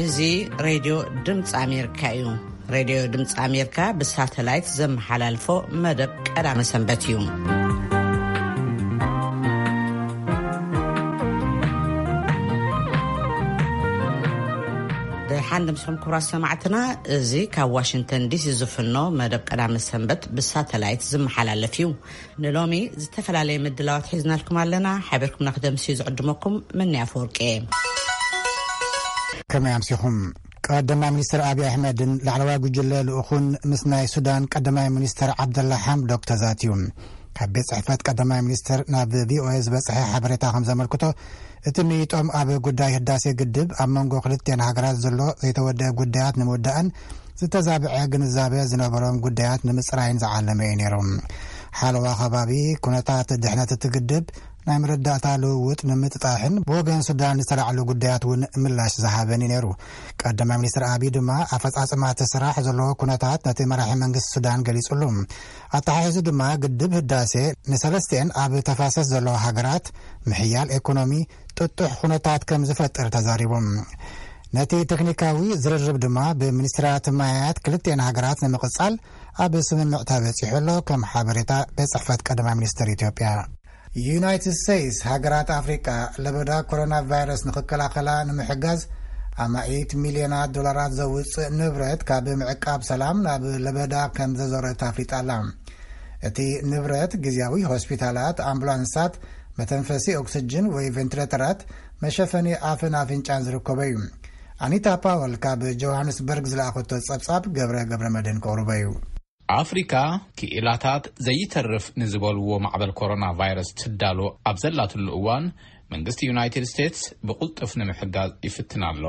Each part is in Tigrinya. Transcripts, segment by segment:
እዚ ሬድዮ ድምፂ ኣሜሪካ እዩ። ሬድዮ ድምፂ ኣሜሪካ ብሳተላይት ዘመሓላልፎ መደብ ቀዳመ ሰንበት እዩ። ደሓን ድምፅኹም ክቡራት ሰማዕትና፣ እዚ ካብ ዋሽንግተን ዲሲ ዝፍኖ መደብ ቀዳመ ሰንበት ብሳተላይት ዝመሓላለፍ እዩ። ንሎሚ ዝተፈላለየ ምድላዋት ሒዝናልኩም ኣለና። ሓቢርኩምና ክደምስዩ ዝዕድመኩም መኒ ኣፈወርቂ እየ። ከመይ ኣምሲኹም? ቀዳማይ ሚኒስትር ኣብይ ኣሕመድን ላዕለዋይ ጉጅለ ልኡኹን ምስ ናይ ሱዳን ቀዳማይ ሚኒስትር ዓብደላ ሓምዶክ ተዛትዩ። ካብ ቤት ጽሕፈት ቀዳማይ ሚኒስትር ናብ ቪኦኤ ዝበጽሐ ሓበሬታ ከም ዘመልክቶ፣ እቲ ምይጦም ኣብ ጉዳይ ህዳሴ ግድብ ኣብ መንጎ ክልቲኤን ሃገራት ዘሎ ዘይተወደአ ጉዳያት ንምውዳእን ዝተዛብዐ ግንዛበ ዝነበሮም ጉዳያት ንምጽራይን ዝዓለመ እዩ ነይሩ። ሓለዋ ከባቢ፣ ኩነታት ድሕነት እቲ ግድብ፣ ናይ መረዳእታ ልውውጥ ንምጥጣሕን ብወገን ሱዳን ዝተላዕሉ ጉዳያት እውን ምላሽ ዝሃበን እዩ ነይሩ። ቀዳማይ ሚኒስትር ኣቢይ ድማ ኣፈጻጽማ እቲ ስራሕ ዘለዎ ኩነታት ነቲ መራሒ መንግስቲ ሱዳን ገሊጹሉ። ኣተሓሒዙ ድማ ግድብ ህዳሴ ንሰለስቲኤን ኣብ ተፋሰስ ዘለዋ ሃገራት ምሕያል ኤኮኖሚ ጥጡሕ ኩነታት ከም ዝፈጥር ተዛሪቡ። ነቲ ቴክኒካዊ ዝርርብ ድማ ብሚኒስትራት ማያት ክልቲኤን ሃገራት ንምቕጻል ኣብ ስምምዕ ተበጺሑ ኣሎ፣ ከም ሓበሬታ ቤት ጽሕፈት ቀዳማይ ሚኒስትር ኢትዮጵያ። ዩናይትድ ስቴትስ ሃገራት ኣፍሪቃ ለበዳ ኮሮና ቫይረስ ንኽከላኸላ ንምሕጋዝ ኣማኢት ሚልዮናት ዶላራት ዘውፅእ ንብረት ካብ ምዕቃብ ሰላም ናብ ለበዳ ከም ዘዞረት ኣፍሊጣ ኣላ። እቲ ንብረት ግዝያዊ ሆስፒታላት፣ ኣምቡላንሳት፣ መተንፈሲ ኦክስጅን ወይ ቬንትሌተራት፣ መሸፈኒ ኣፍን ኣፍንጫን ዝርከቦ እዩ። ኣኒታ ፓወል ካብ ጆሃንስበርግ ዝለኣኸቶ ጸብጻብ ገብረ ገብረ መድህን ከቕርቦ እዩ። ኣፍሪካ ክኢላታት ዘይተርፍ ንዝበልዎ ማዕበል ኮሮና ቫይረስ ትዳሎ ኣብ ዘላትሉ እዋን፣ መንግስቲ ዩናይትድ ስቴትስ ብቕልጡፍ ንምሕጋዝ ይፍትን ኣሎ።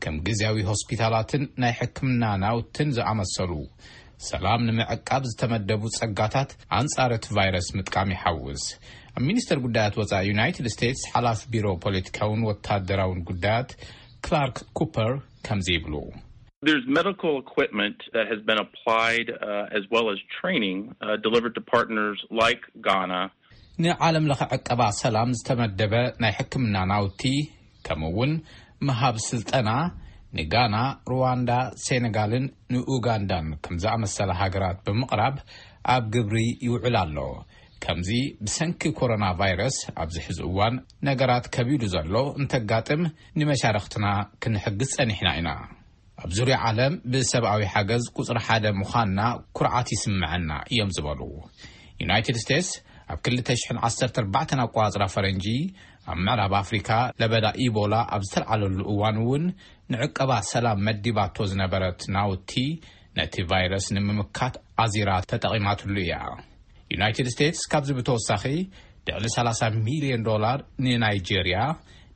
ከም ግዝያዊ ሆስፒታላትን ናይ ሕክምና ናውትን ዝኣመሰሉ ሰላም ንምዕቃብ ዝተመደቡ ጸጋታት ኣንጻር እቲ ቫይረስ ምጥቃም ይሓውስ። ኣብ ሚኒስተር ጉዳያት ወጻኢ ዩናይትድ ስቴትስ ሓላፊ ቢሮ ፖለቲካውን ወታደራውን ጉዳያት ክላርክ ኩፐር ከምዚ ይብሉ። There's medical equipment that has been applied, uh, as well as training, uh, delivered to partners like Ghana. ንዓለም ለኸ ዕቀባ ሰላም ዝተመደበ ናይ ሕክምና ናውቲ፣ ከምኡ እውን ምሃብ ስልጠና ንጋና፣ ሩዋንዳ፣ ሴኔጋልን ንኡጋንዳን ከም ዝኣመሰላ ሃገራት ብምቕራብ ኣብ ግብሪ ይውዕል ኣሎ። ከምዚ ብሰንኪ ኮሮና ቫይረስ ኣብዚ ሕዚ እዋን ነገራት ከቢዱ ዘሎ እንተጋጥም፣ ንመሻርኽትና ክንሕግዝ ጸኒሕና ኢና። ኣብ ዙርያ ዓለም ብሰብኣዊ ሓገዝ ቁጽሪ ሓደ ምዃንና ኩርዓት ይስምዐና እዮም ዝበሉ። ዩናይትድ ስቴትስ ኣብ ክልተ ሽሕን ዓሰርተ ኣርባዕተን ኣቆጻጽራ ፈረንጂ ኣብ ምዕራብ ኣፍሪካ ለበዳ ኢቦላ ኣብ ዝተልዓለሉ እዋን እውን ንዕቀባ ሰላም መዲባቶ ዝነበረት ናውቲ ነቲ ቫይረስ ንምምካት ኣዚራ ተጠቒማትሉ እያ። ዩናይትድ ስቴትስ ካብዚ ብተወሳኺ ልዕሊ ሰላሳ ሚልዮን ዶላር ንናይጄርያ፣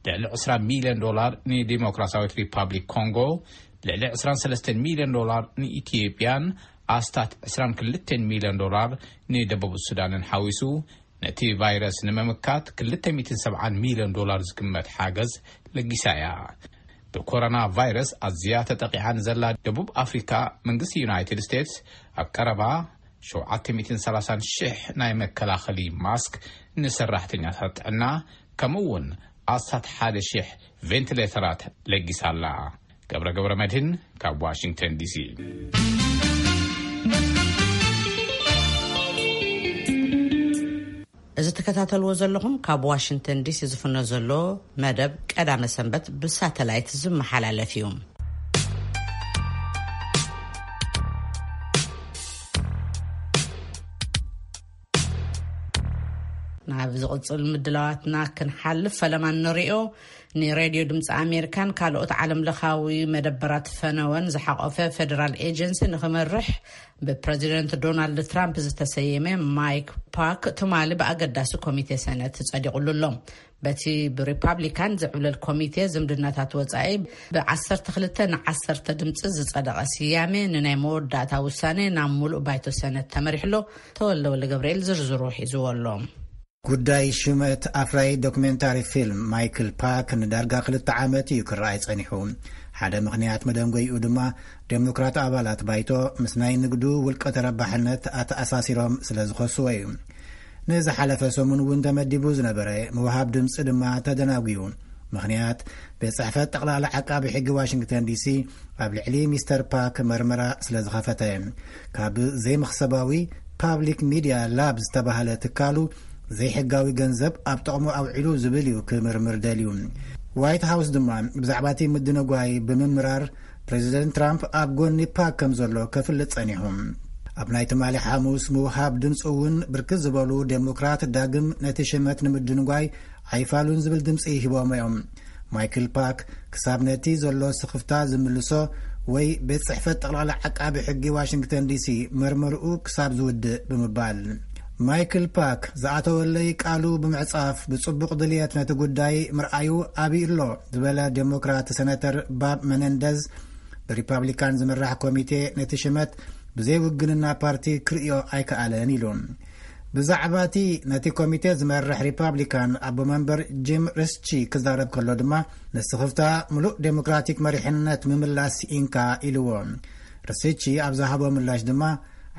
ልዕሊ ዕስራ ሚልዮን ዶላር ንዲሞክራሲያዊት ሪፓብሊክ ኮንጎ፣ ልዕሊ ዕስራን ሰለስተን ሚልዮን ዶላር ንኢትዮጵያን ኣስታት ዕስራን ክልተን ሚልዮን ዶላር ንደቡብ ሱዳንን ሓዊሱ ነቲ ቫይረስ ንምምካት ክልተ ሚእትን ሰብዓን ሚልዮን ዶላር ዝግመት ሓገዝ ለጊሳ እያ። ብኮሮና ቫይረስ ኣዝያ ተጠቂዓ ንዘላ ደቡብ ኣፍሪካ መንግስቲ ዩናይትድ ስቴትስ ኣብ ቀረባ ሸውዓተ ሚእትን ሰላሳን ሽሕ ናይ መከላኸሊ ማስክ ንሰራሕተኛታት ጥዕና፣ ከምኡ እውን ኣስታት ሓደ ሽሕ ቬንቲሌተራት ለጊሳ ኣላ። ገብረ ገብረ መድህን ካብ ዋሽንግተን ዲሲ። እዚ ትከታተልዎ ዘለኹም ካብ ዋሽንግተን ዲሲ ዝፍኖ ዘሎ መደብ ቀዳመ ሰንበት ብሳተላይት ዝመሓላለፍ እዩ። ናብ ዝቕጽል ምድላዋትና ክንሓልፍ፣ ፈለማ እንሪኦ፣ ንሬድዮ ድምፂ ኣሜሪካን ካልኦት ዓለም ለኻዊ መደበራት ፈነወን ዝሓቖፈ ፌደራል ኤጀንሲ ንክመርሕ ብፕረዚደንት ዶናልድ ትራምፕ ዝተሰየመ ማይክ ፓክ ትማሊ ብኣገዳሲ ኮሚቴ ሰነት ጸዲቑሉ ኣሎ። በቲ ብሪፓብሊካን ዝዕብለል ኮሚቴ ዝምድናታት ወጻኢ ብዓሰርተ ክልተ ንዓሰርተ ድምፂ ዝጸደቐ ስያሜ ንናይ መወዳእታ ውሳኔ ናብ ሙሉእ ባይቶ ሰነት ተመሪሕሎ። ተወልደ ወልደ ገብርኤል ዝርዝሩ ሒዝዎ ኣሎ። ጉዳይ ሹመት ኣፍራዪ ዶክሜንታሪ ፊልም ማይክል ፓክ ንዳርጋ ክልተ ዓመት እዩ ክረኣይ ጸኒሑ። ሓደ ምኽንያት መደንጎይኡ ድማ ዴሞክራት ኣባላት ባይቶ ምስ ናይ ንግዱ ውልቀ ተረባሕነት ኣተኣሳሲሮም ስለ ዝኸስዎ እዩ። ንዝሓለፈ ሰሙን እውን ተመዲቡ ዝነበረ ምውሃብ ድምፂ ድማ ተደናጒዩ። ምኽንያት፣ ቤት ጽሕፈት ጠቕላላ ዓቃቢ ሕጊ ዋሽንግተን ዲሲ ኣብ ልዕሊ ሚስተር ፓክ መርመራ ስለ ዝኸፈተ፣ ካብ ዘይመኽሰባዊ ፓብሊክ ሚድያ ላብ ዝተባህለ ትካሉ ዘይሕጋዊ ገንዘብ ኣብ ጥቕሙ ኣውዒሉ ዝብል እዩ ክምርምር ደልዩ። ዋይት ሃውስ ድማ ብዛዕባ እቲ ምድንጓይ ብምምራር፣ ፕሬዚደንት ትራምፕ ኣብ ጎኒ ፓክ ከም ዘሎ ከፍልጥ ጸኒሑ። ኣብ ናይ ትማሊ ሓሙስ ምውሃብ ድምፂ እውን ብርክት ዝበሉ ዴሞክራት ዳግም ነቲ ሽመት ንምድንጓይ ኣይፋሉን ዝብል ድምፂ ሂቦም እዮም። ማይክል ፓክ ክሳብ ነቲ ዘሎ ስኽፍታ ዝምልሶ ወይ ቤት ጽሕፈት ጠቕላላ ዓቃቢ ሕጊ ዋሽንግተን ዲሲ መርመርኡ ክሳብ ዝውድእ ብምባል፣ ማይክል ፓክ ዝኣተወለይ ቃሉ ብምዕጻፍ ብጽቡቕ ድልየት ነቲ ጉዳይ ምርኣዩ ኣብዩ ኣሎ ዝበለ ዴሞክራት ሰነተር ባብ መነንደዝ፣ ብሪፓብሊካን ዝምራሕ ኮሚቴ ነቲ ሽመት ብዘይ ውግንና ፓርቲ ክርእዮ ኣይከኣለን ኢሉ። ብዛዕባ እቲ ነቲ ኮሚቴ ዝመርሕ ሪፓብሊካን ኣቦ መንበር ጂም ሪስቺ ክዛረብ ከሎ ድማ፣ ንስኽፍታ ምሉእ ዴሞክራቲክ መሪሕነት ምምላስ ኢንካ ኢልዎ። ሪስቺ ኣብ ዝሃቦ ምላሽ ድማ፣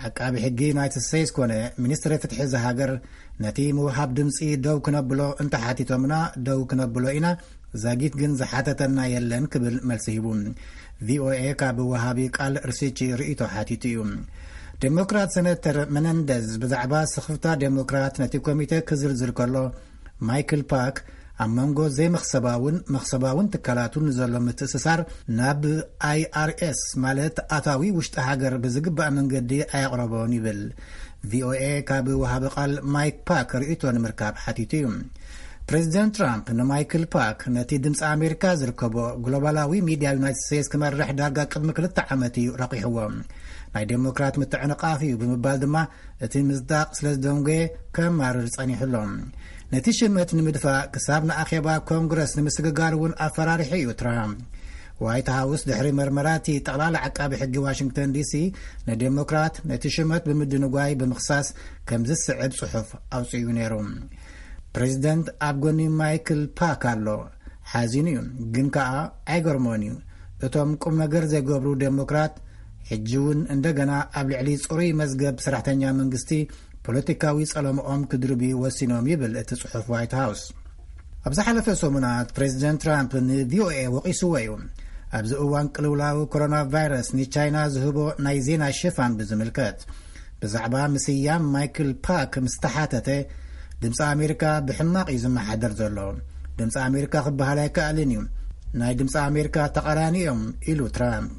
ዓቃቢ ሕጊ ዩናይትድ ስቴትስ ኮነ ሚኒስትሪ ፍትሒ እዚ ሃገር ነቲ ምውሃብ ድምፂ ደው ክነብሎ እንተሓቲቶምና ደው ክነብሎ ኢና፣ ዛጊት ግን ዝሓተተና የለን ክብል መልሲ ሂቡ። ቪኦኤ ካብ ወሃቢ ቃል ሪስቺ ርእይቶ ሓቲቱ እዩ። ዴሞክራት ሰነተር መነንደዝ ብዛዕባ ስኽፍታ ዴሞክራት ነቲ ኮሚቴ ክዝርዝር ከሎ፣ ማይክል ፓክ ኣብ መንጎ ዘይመኽሰባውን መኽሰባውን ትካላቱን ዘሎ ምትእስሳር ናብ ኣይኣርኤስ፣ ማለት ኣታዊ ውሽጢ ሃገር፣ ብዝግባእ መንገዲ ኣየቕረቦን ይብል። ቪኦኤ ካብ ወሃቢ ቃል ማይክ ፓክ ርእይቶ ንምርካብ ሓቲቱ እዩ። ፕሬዚደንት ትራምፕ ንማይክል ፓክ ነቲ ድምፂ ኣሜሪካ ዝርከቦ ግሎባላዊ ሚድያ ዩናይትድ ስቴትስ ክመርሕ ዳርጋ ቅድሚ ክልተ ዓመት እዩ ረቂሕዎ። ናይ ዴሞክራት ምትዕንቓፍ እዩ ብምባል ድማ እቲ ምጽዳቕ ስለ ዝደንጎየ ከማርር ጸኒሑ ኣሎ። ነቲ ሽመት ንምድፋእ ክሳብ ንኣኼባ ኮንግረስ ንምስግጋር እውን ኣፈራሪሑ እዩ ትራምፕ። ዋይት ሃውስ ድሕሪ መርመራ እቲ ጠቕላላ ዓቃቢ ሕጊ ዋሽንግተን ዲሲ ንዴሞክራት ነቲ ሽመት ብምድንጓይ ብምኽሳስ ከም ዝስዕብ ጽሑፍ ኣውጺኡ ነይሩ። ፕሬዚደንት ኣብ ጎኒ ማይክል ፓክ ኣሎ። ሓዚኑ እዩ፣ ግን ከኣ ኣይገርሞን እዩ። እቶም ቁም ነገር ዘይገብሩ ዴሞክራት ሕጂ እውን እንደገና ኣብ ልዕሊ ጽሩይ መዝገብ ሰራሕተኛ መንግስቲ ፖለቲካዊ ጸለምኦም ክድርብዩ ወሲኖም ይብል እቲ ጽሑፍ ዋይት ሃውስ። ኣብ ዝሓለፈ ሰሙናት ፕሬዚደንት ትራምፕ ንቪኦኤ ወቒስዎ እዩ። ኣብዚ እዋን ቅልውላው ኮሮና ቫይረስ ንቻይና ዝህቦ ናይ ዜና ሽፋን ብዝምልከት፣ ብዛዕባ ምስያም ማይክል ፓክ ምስ ተሓተተ፣ ድምፂ ኣሜሪካ ብሕማቕ እዩ ዝመሓደር ዘሎ። ድምፂ ኣሜሪካ ክበሃል ኣይከኣልን እዩ። ናይ ድምፂ ኣሜሪካ ተቓራኒ እዮም ኢሉ ትራምፕ።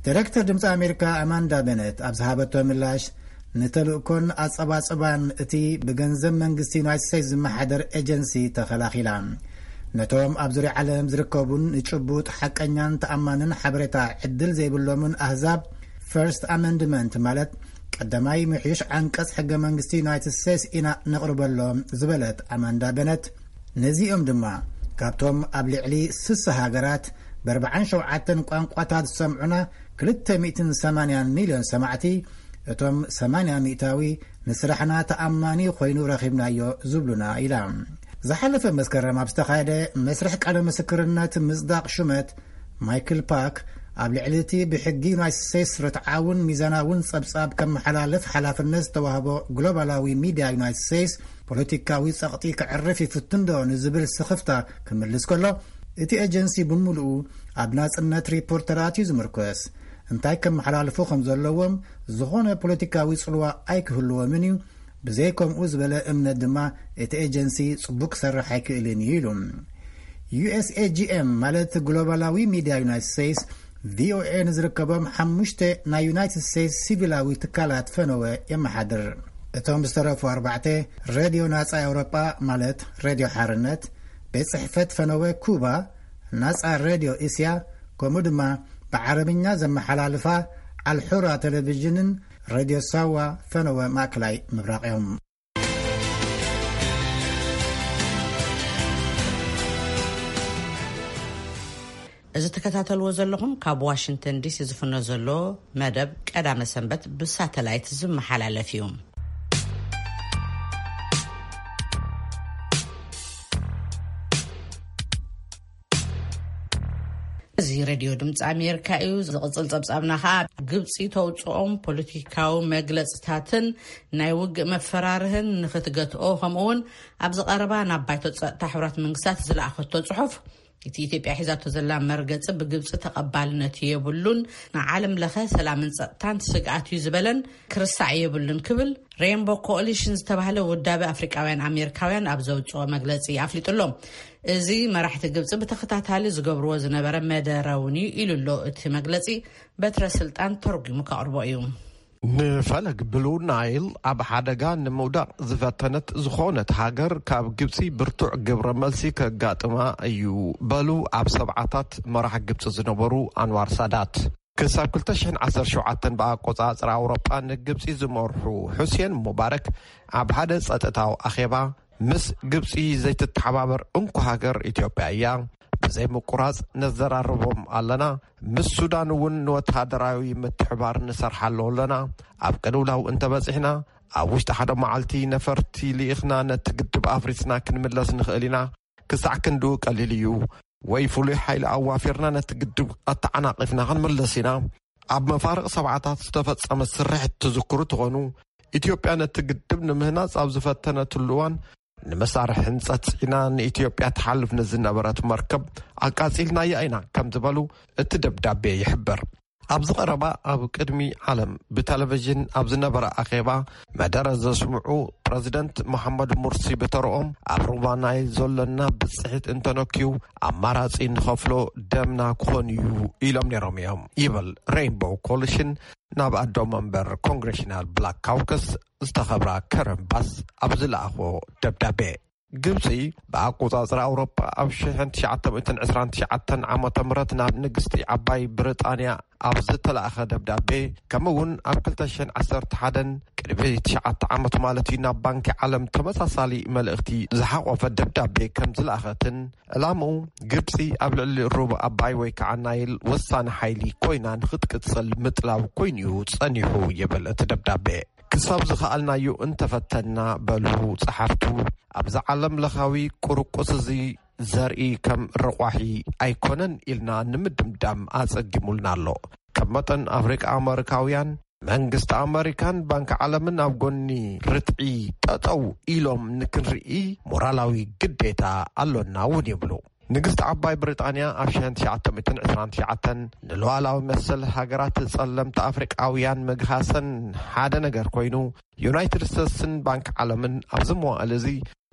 ዳይሬክተር ድምፂ ኣሜሪካ ኣማንዳ በነት ኣብ ዝሃበቶ ምላሽ፣ ንተልእኮን ኣጸባጽባን እቲ ብገንዘብ መንግስቲ ዩናይትድ ስቴትስ ዝመሓደር ኤጀንሲ ተኸላኺላ። ነቶም ኣብ ዙርያ ዓለም ዝርከቡን ንጭቡጥ ሓቀኛን ተኣማንን ሓበሬታ ዕድል ዘይብሎምን ኣህዛብ፣ ፈርስት ኣመንድመንት፣ ማለት ቀዳማይ ምሕዩሽ ዓንቀጽ ሕገ መንግስቲ ዩናይትድ ስቴትስ ኢና ነቕርበሎም ዝበለት ኣማንዳ በነት፣ ነዚኦም ድማ ካብቶም ኣብ ልዕሊ ስሳ ሃገራት ብ ኣርባዓን ሸውዓተን ቋንቋታት ዝሰምዑና ክልተ ሚእትን ሰማንያን ሚልዮን ሰማዕቲ፣ እቶም ሰማንያ ሚእታዊ ንስራሕና ተኣማኒ ኮይኑ ረኺብናዮ ዝብሉና ኢላ። ዝሓለፈ መስከረም ኣብ ዝተኻየደ መስርሕ ቃለ ምስክርነት ምጽዳቕ ሹመት፣ ማይክል ፓክ ኣብ ልዕሊ እቲ ብሕጊ ዩናይትድ ስቴትስ ርትዓውን ሚዛናውን ጸብጻብ ከመሓላልፍ ሓላፍነት ዝተዋህቦ ግሎባላዊ ሚድያ ዩናይትድ ስቴትስ ፖለቲካዊ ጸቕጢ ከዕርፍ ይፍትን ዶ ንዝብል ስኽፍታ ክምልስ ከሎ፣ እቲ ኤጀንሲ ብምሉኡ ኣብ ናጽነት ሪፖርተራት እዩ ዝምርኮስ። እንታይ ከመሓላልፉ ከም ዘለዎም ዝኾነ ፖለቲካዊ ጽልዋ ኣይክህልዎምን እዩ። ብዘይ ከምኡ ዝበለ እምነት ድማ እቲ ኤጀንሲ ጽቡቕ ክሰርሕ ኣይክእልን እዩ ኢሉ። ዩ ኤስ ኤ ጂ ኤም፣ ማለት ግሎባላዊ ሚድያ ዩናይትድ ስቴትስ፣ ቪ ኦ ኤ ንዝርከቦም ሓሙሽተ ናይ ዩናይትድ ስቴትስ ሲቪላዊ ትካላት ፈነወ የመሓድር። እቶም ዝተረፉ ኣርባዕተ፣ ሬድዮ ናጻ ኤውሮጳ፣ ማለት ሬድዮ ሓርነት፣ ቤት ጽሕፈት ፈነወ ኩባ፣ ናጻ ሬድዮ እስያ፣ ከምኡ ድማ ብዓረብኛ ዘመሓላልፋ ኣልሑራ ቴሌቪዥንን ሬድዮ ሳዋ ፈነወ ማእከላይ ምብራቕ እዮም። እዚ ትከታተልዎ ዘለኹም ካብ ዋሽንግተን ዲሲ ዝፍኖ ዘሎ መደብ ቀዳመ ሰንበት ብሳተላይት ዝመሓላለፍ እዩ። እዚ ሬድዮ ድምፂ ኣሜሪካ እዩ። ዝቕፅል ፀብፃብና ከዓ ግብፂ ተውፅኦም ፖለቲካዊ መግለፅታትን ናይ ውግእ መፈራርህን ንክትገትኦ፣ ከምኡውን ኣብዚ ቀረባ ናብ ባይቶ ፀጥታ ሕቡራት መንግስታት ዝለኣኸቶ ፅሑፍ፣ እቲ ኢትዮጵያ ሒዛቶ ዘላ መርገፂ ብግብፂ ተቐባልነት የብሉን፣ ንዓለም ለኸ ሰላምን ፀጥታን ስግኣት እዩ ዝበለን፣ ክርሳዕ የብሉን ክብል ሬንቦ ኮኦሊሽን ዝተባህለ ውዳቤ ኣፍሪቃውያን ኣሜሪካውያን ኣብ ዘውፅኦ መግለፂ ኣፍሊጡ ኣሎ። እዚ መራሕቲ ግብፂ ብተኸታታሊ ዝገብርዎ ዝነበረ መደረ እውን እዩ ኢሉ ኣሎ። እቲ መግለፂ በትረ ስልጣን ተርጒሙ ከቕርቦ እዩ። ንፈለግ ብሉ ናይል ኣብ ሓደጋ ንምውዳቕ ዝፈተነት ዝኾነት ሃገር ካብ ግብፂ ብርቱዕ ግብረ መልሲ ከጋጥማ እዩ በሉ ኣብ ሰብዓታት መራሕ ግብፂ ዝነበሩ ኣንዋር ሳዳት። ክሳብ ክልተ ሽሕን ዓሰርተ ሸውዓተን ብኣቆጻጽራ ኣውሮጳ ንግብጺ ዝመርሑ ሑሴን ሙባረክ ኣብ ሓደ ጸጥታዊ ኣኼባ፣ ምስ ግብጺ ዘይትተሓባበር እንኮ ሃገር ኢትዮጵያ እያ። ብዘይ ምቁራጽ ነዘራርቦም ኣለና። ምስ ሱዳን እውን ንወተሃደራዊ ምትሕባር ንሰርሓሉ ኣለና። ኣብ ቅልውላው እንተበጺሕና፣ ኣብ ውሽጢ ሓደ መዓልቲ ነፈርቲ ልኢኽና ነቲ ግድብ ኣፍሪስና ክንምለስ ንኽእል ኢና። ክሳዕ ክንድኡ ቀሊል እዩ። ወይ ፍሉይ ሓይሊ ኣዋፊርና ነቲ ግድብ ኣተዓናቒፍና ክንምለስ ኢና። ኣብ መፋርቕ ሰብዓታት ዝተፈጸመ ስርሒት ትዝክሩ ትኾኑ። ኢትዮጵያ ነቲ ግድብ ንምህናጽ ኣብ ዝፈተነትሉ እዋን፣ ንመሳርሒ ህንጸት ጽዒና ንኢትዮጵያ ትሓልፍ ንዝነበረት መርከብ ኣቃጺልናያ ኢና ከም ዝበሉ እቲ ደብዳቤ ይሕብር። ኣብዚ ቀረባ ኣብ ቅድሚ ዓለም ብቴሌቪዥን ኣብ ዝነበረ ኣኼባ መደረ ዘስምዑ ፕረዚደንት መሓመድ ሙርሲ ብተረኦም፣ ኣብ ሩባ ናይል ዘሎና ብጽሒት እንተነክዩ፣ ኣማራጺ ንኸፍሎ ደምና ክኾን እዩ ኢሎም ነይሮም እዮም ይብል ሬይንቦው ኮሊሽን ናብ ኣዶ መንበር ኮንግሬሽናል ብላክ ካውከስ ዝተኸብራ ከረን ባስ ኣብ ዝለኣኾ ደብዳቤ። ግብጺ ብኣቆጻጽራ ኣውሮፓ ኣብ ሽሕን ትሽዓተ ሚእትን ዕስራን ትሽዓተን ዓመተ ምህረት ናብ ንግስቲ ዓባይ ብሪጣንያ ኣብ ዝተላእኸ ደብዳቤ፣ ከምኡ እውን ኣብ ክልተ ሽሕን ዓሰርተ ሓደን ቅድሚ ትሽዓተ ዓመት ማለት እዩ ናብ ባንኪ ዓለም ተመሳሳሊ መልእኽቲ ዝሓቆፈ ደብዳቤ ከም ዝለኣኸትን፣ ዕላምኡ ግብጺ ኣብ ልዕሊ ሩብ ኣባይ ወይ ከዓ ናይል ወሳኒ ሓይሊ ኮይና ንክትቅጽል ምጥላው ኮይኑ እዩ ጸኒሑ ይብል እቲ ደብዳቤ። ክሳብ ዝኸኣልናዮ እንተፈተንና በሉ ጸሓፍቱ፣ ኣብዚ ዓለም ለኻዊ ቁርቁስ እዚ ዘርኢ ከም ረቋሒ ኣይኮነን ኢልና ንምድምዳም ኣጸጊሙልና ኣሎ። ከም መጠን ኣፍሪቃ ኣመሪካውያን፣ መንግስቲ ኣመሪካን ባንኪ ዓለምን ኣብ ጎኒ ርትዒ ጠጠው ኢሎም ንክንርኢ ሞራላዊ ግዴታ ኣሎና እውን ይብሉ። ንግስቲ ዓባይ ብሪጣንያ ኣብ ሽሕን ትሽዓተ ሚእትን ዕስራን ትሽዓተን ንሉዓላዊ መሰል ሃገራት ጸለምቲ ኣፍሪቃውያን ምግሃሰን ሓደ ነገር ኮይኑ፣ ዩናይትድ ስቴትስን ባንኪ ዓለምን ኣብዚ መዋእል እዚ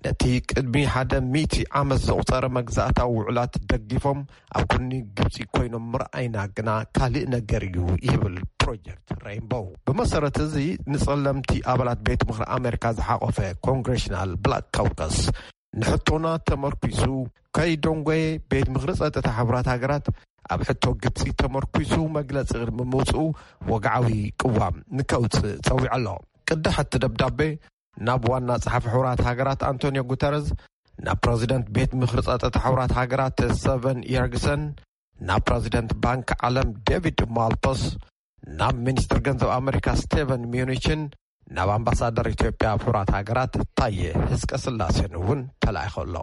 ነቲ ቅድሚ ሓደ ሚእቲ ዓመት ዘቑጸረ መግዛእታዊ ውዕላት ደጊፎም ኣብ ጎኒ ግብጺ ኮይኖም ምርኣይና ግና ካልእ ነገር እዩ ይብል ፕሮጀክት ሬይንቦው። ብመሰረት እዚ ንጸለምቲ ኣባላት ቤት ምኽሪ ኣሜሪካ ዝሓቆፈ ኮንግሬሽናል ብላክ ካውከስ ንሕቶና ተመርኲሱ ከይደንጎየ ቤት ምኽሪ ጸጥታ ሕቡራት ሃገራት ኣብ ሕቶ ግብጺ ተመርኲሱ መግለጺ ቅድሚ ምውጽኡ ወግዓዊ ቅዋም ንከውጽእ ጸዊዑ ኣሎ። ቅዳሕ እቲ ደብዳቤ ናብ ዋና ጸሓፊ ሕቡራት ሃገራት ኣንቶኒዮ ጉተረዝ፣ ናብ ፕረዚደንት ቤት ምኽሪ ጸጥታ ሕቡራት ሃገራት ሰቨን የርግሰን፣ ናብ ፕረዚደንት ባንክ ዓለም ዴቪድ ማልፓስ፣ ናብ ሚኒስትር ገንዘብ ኣመሪካ ስቴቨን ሚዩኒችን፣ ናብ ኣምባሳደር ኢትዮጵያ ኣብ ሕቡራት ሃገራት ታየ ህዝቀ ስላሴን እውን ተላኢኹ ኣሎ።